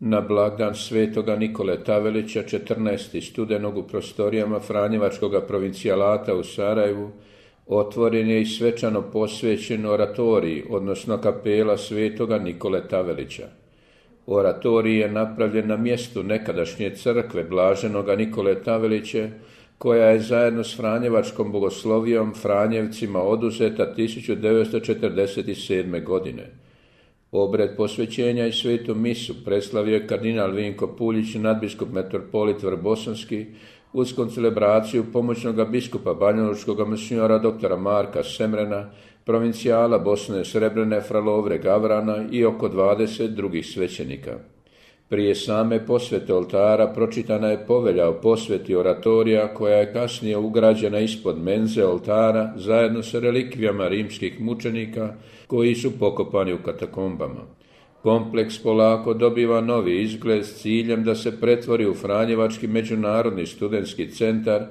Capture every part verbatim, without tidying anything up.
Na blagdan svetoga Nikole Tavelića četrnaestog studenog u prostorijama Franjevačkog provincijalata u Sarajevu otvoren je i svečano posvećen oratorij, odnosno kapela svetoga Nikole Tavelića. Oratorij je napravljen na mjestu nekadašnje crkve blaženoga Nikole Tavelića, koja je zajedno s Franjevačkom bogoslovijom Franjevcima oduzeta tisuću devetsto četrdeset sedme. godine. Obred posvećenja i svetu misu preslavio je kardinal Vinko Puljić, nadbiskup metropolit Vrbosanski, uz koncelebraciju pomoćnog biskupa banjalučkog monsignora doktora Marka Semrena, provincijala Bosne Srebrene fra Lovre Gavrana i oko dvadeset drugih svećenika. Prije same posvete oltara pročitana je povelja o posveti oratorija, koja je kasnije ugrađena ispod menze oltara zajedno sa relikvijama rimskih mučenika koji su pokopani u katakombama. Kompleks polako dobiva novi izgled s ciljem da se pretvori u Franjevački međunarodni studentski centar,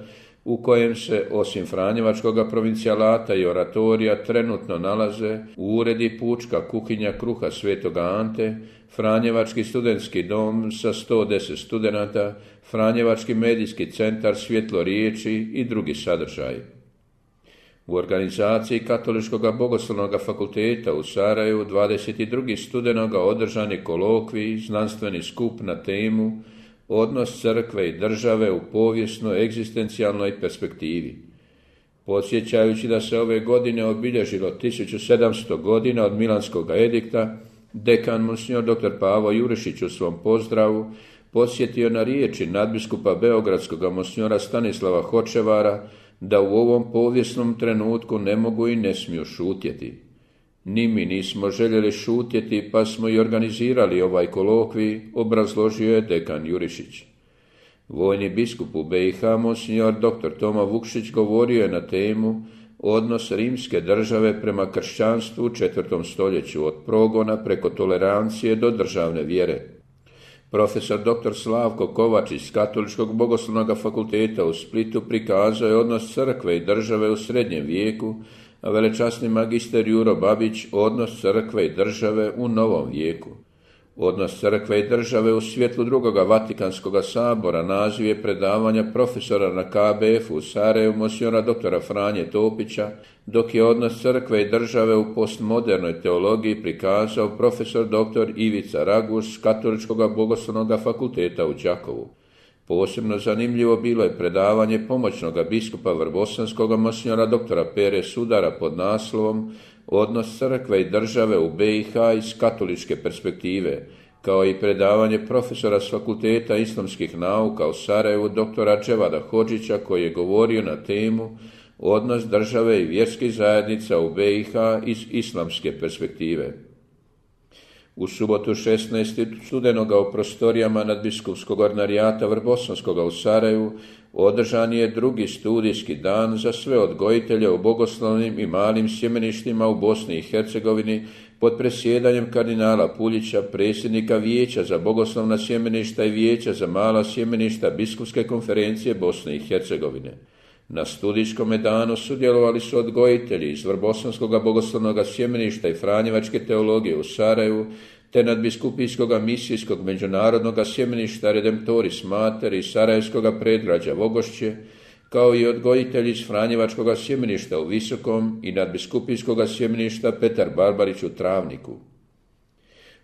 u kojem se, osim Franjevačkog provincijalata i oratorija, trenutno nalaze uredi pučka kuhinja kruha Svetoga Ante, Franjevački studentski dom sa sto deset studenata, Franjevački medijski centar Svjetlo riječi i drugi sadržaj. U organizaciji Katoličkog bogoslovnog fakulteta u Sarajevu dvadeset drugog studenoga održan je kolokvij, znanstveni skup na temu Odnos crkve i države u povijesnoj egzistencijalnoj perspektivi. Podsjećajući da se ove godine obilježilo tisuću sedamsto godina od Milanskog edikta, dekan monsignor doktor Pavo Jurišić u svom pozdravu podsjetio na riječi nadbiskupa beogradskog monsignora Stanislava Hočevara da u ovom povijesnom trenutku ne mogu i ne smiju šutjeti. Ni mi nismo željeli šutjeti, pa smo i organizirali ovaj kolokvij, obrazložio je dekan Jurišić. Vojni biskup u B i H, monsignor doktor Toma Vukšić, govorio je na temu Odnos rimske države prema kršćanstvu u četvrtom stoljeću, od progona preko tolerancije do državne vjere. Profesor doktor Slavko Kovačić s Katoličkog bogoslovnog fakulteta u Splitu prikazao je odnos crkve i države u srednjem vijeku, a velečasni magister Juro Babić odnos crkve i države u novom vijeku. Odnos crkve i države u svjetlu drugoga Vatikanskog sabora naziv je predavanja profesora na K B F u Sarajevu monsignora doktora Franje Topića, dok je odnos crkve i države u postmodernoj teologiji prikazao profesor doktor Ivica Raguš s Katoličkog bogoslovnog fakulteta u Đakovu. Posebno zanimljivo bilo je predavanje pomoćnog biskupa Vrbosanskog monsignora doktora Pere Sudara pod naslovom Odnos crkve i države u B i H iz katoličke perspektive, kao i predavanje profesora s Fakulteta islamskih nauka u Sarajevu doktora Dževada Hodžića, koji je govorio na temu Odnos države i vjerskih zajednica u B i H iz islamske perspektive. U subotu šesnaestog studenoga u prostorijama nadbiskupskog ordinarijata Vrbosanskoga u Sarajevu održan je drugi studijski dan za sve odgojitelje u bogoslovnim i malim sjemeništima u Bosni i Hercegovini pod presjedanjem kardinala Puljića, predsjednika Vijeća za bogoslovna sjemeništa i Vijeća za mala sjemeništa Biskupske konferencije Bosne i Hercegovine. Na studijskom danu sudjelovali su odgojitelji iz Vrbosanskog bogoslovnog sjemeništa i Franjevačke teologije u Sarajevu, te nadbiskupijskog misijskog međunarodnog sjemeništa Redemptoris Mater i Sarajevskog predgrađa Vogošće, kao i odgojitelji iz Franjevačkog sjemeništa u Visokom i nadbiskupijskog sjemeništa Petar Barbarić u Travniku.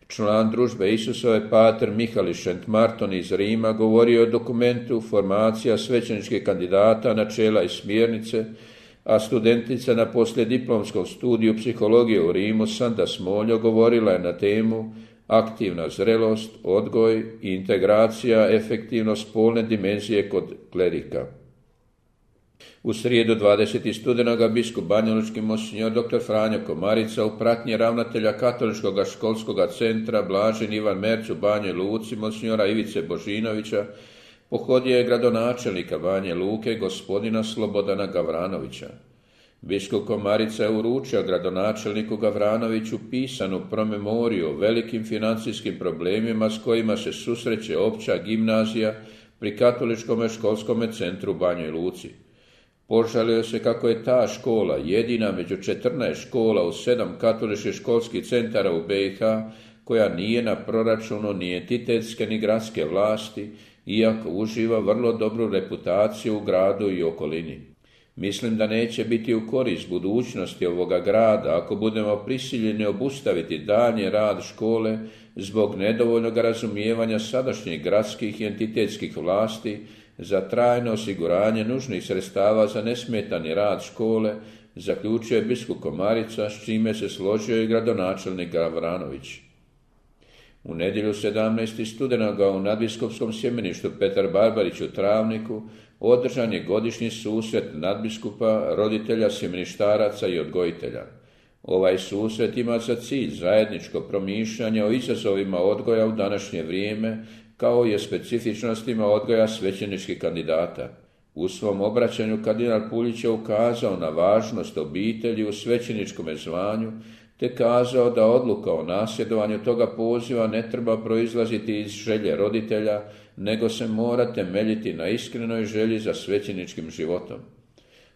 Član družbe Isusove pater Mihali Šent-Marton iz Rima govorio o dokumentu Formacija svećeničkih kandidata, načela i smjernice, a studentica na poslijediplomskom studiju psihologije u Rimu Sanda Smoljo govorila je na temu Aktivna zrelost, odgoj i integracija efektivno spolne dimenzije kod klerika. U srijedu dvadesetog studenoga biskup banjalučki monsignor doktor Franjo Komarica u pratnji ravnatelja Katoličkog školskog centra Blažen Ivan Merc u Banjoj Luci monsignora Ivice Božinovića pohodio je gradonačelnika Banje Luke gospodina Slobodana Gavranovića. Biskup Komarica je uručio gradonačelniku Gavranoviću pisanu promemoriju o velikim financijskim problemima s kojima se susreće opća gimnazija pri Katoličkom školskom centru u Banjoj Luci. Požalio se kako je ta škola jedina među četrnaest škola u sedam katoličkih školskih centara u B i H koja nije na proračunu ni entitetske ni gradske vlasti, iako uživa vrlo dobru reputaciju u gradu i okolini. Mislim da neće biti u korist budućnosti ovoga grada ako budemo prisiljeni obustaviti daljnji rad škole zbog nedovoljnog razumijevanja sadašnjih gradskih i entitetskih vlasti za trajno osiguranje nužnih sredstava za nesmetani rad škole, zaključio je biskup Komarica, s čime se složio i gradonačelnik Gavranović. U nedjelju sedamnaestog studenoga u nadbiskupskom sjemeništu Petar Barbarić u Travniku održan je godišnji susret nadbiskupa, roditelja, sjemeništaraca i odgojitelja. Ovaj susret ima za cilj zajedničko promišljanje o izazovima odgoja u današnje vrijeme, kao i o specifičnostima odgoja svećeničkih kandidata. U svom obraćanju kardinal Puljić je ukazao na važnost obitelji u svećeničkom zvanju, te kazao da odluka o nasljedovanju toga poziva ne treba proizlaziti iz želje roditelja, nego se mora temeljiti na iskrenoj želji za svećeničkim životom.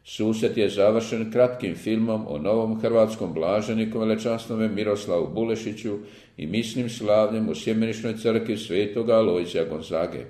Susret je završen kratkim filmom o novom hrvatskom blaženiku velečasnome Miroslavu Bulešiću i misnim slavljem u sjemeničnoj crkvi svetoga Alojzija Gonzage.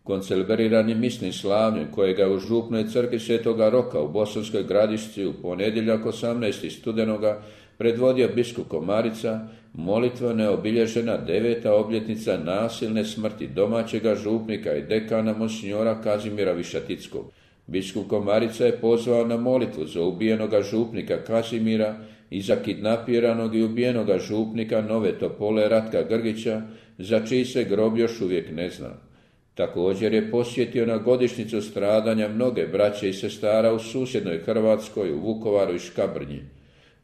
Koncelebriranje misnim slavljem kojega je u župnoj crkvi svetoga Roka u Bosanskoj Gradišci u ponedjeljak osamnaestog studenoga predvodio biskup Komarica, molitveno je obilježena deveta obljetnica nasilne smrti domaćega župnika i dekana monsinjora Kazimira Višatickog. Biskup Komarica je pozvao na molitvu za ubijenoga župnika Kazimira i za kidnapiranog i ubijenoga župnika Nove Topole Ratka Grgića, za čiji se grob još uvijek ne zna. Također je posjetio na godišnjicu stradanja mnoge braće i sestara u susjednoj Hrvatskoj, u Vukovaru i Škabrnji.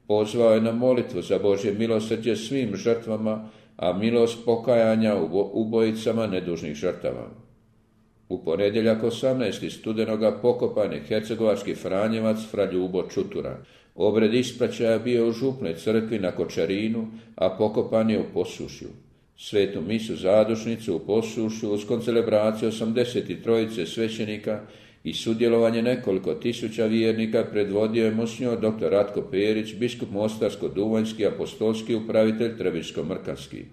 Pozvao je na molitvu za Božje milosrđe svim žrtvama, a milost pokajanja ubojicama nedužnih žrtava. U ponedjeljak osamnaestog studenoga pokopan je hercegovački franjevac fra Ljubo Čutura. Obred ispraćaja bio u župnoj crkvi na Kočarinu, a pokopan je u Posušju. Svetu misu zadušnicu u Posušju uz koncelebraciju osamdeset trojice svećenika i sudjelovanje nekoliko tisuća vjernika predvodio je monsinjor doktor Ratko Perić, biskup Mostarsko-Duvanjski, apostolski upravitelj Trebiško-Mrkanski.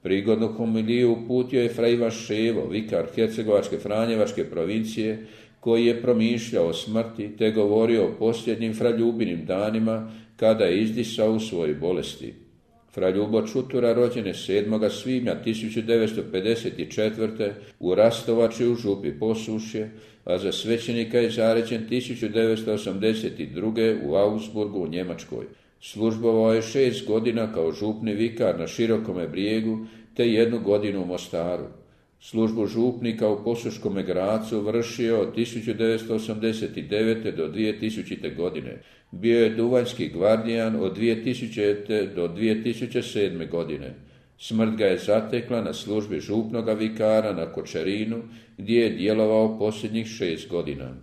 Prigodnu homiliju uputio je fra Ivan Ševo, vikar hercegovačke franjevačke provincije, koji je promišljao o smrti te govorio o posljednjim fra Ljubinim danima kada je izdisao u svojoj bolesti. Fra Ljubo Čutura rođen je sedmog svibnja tisuću devetsto pedeset četvrte u Rastovači u župi Posušje, a za svećenika je zaređen tisuću devetsto osamdeset druge u Augsburgu u Njemačkoj. Službovao je šest godina kao župni vikar na Širokome Brijegu te jednu godinu u Mostaru. Službu župnika u Posuškome Gracu vršio od tisuću devetsto osamdeset devete do dvije tisućite. godine. Bio je duvanjski gvardijan od dvije tisućite. do dvije tisuće sedme. godine. Smrt ga je zatekla na službi župnoga vikara na Kočarinu, gdje je djelovao posljednjih šest godina.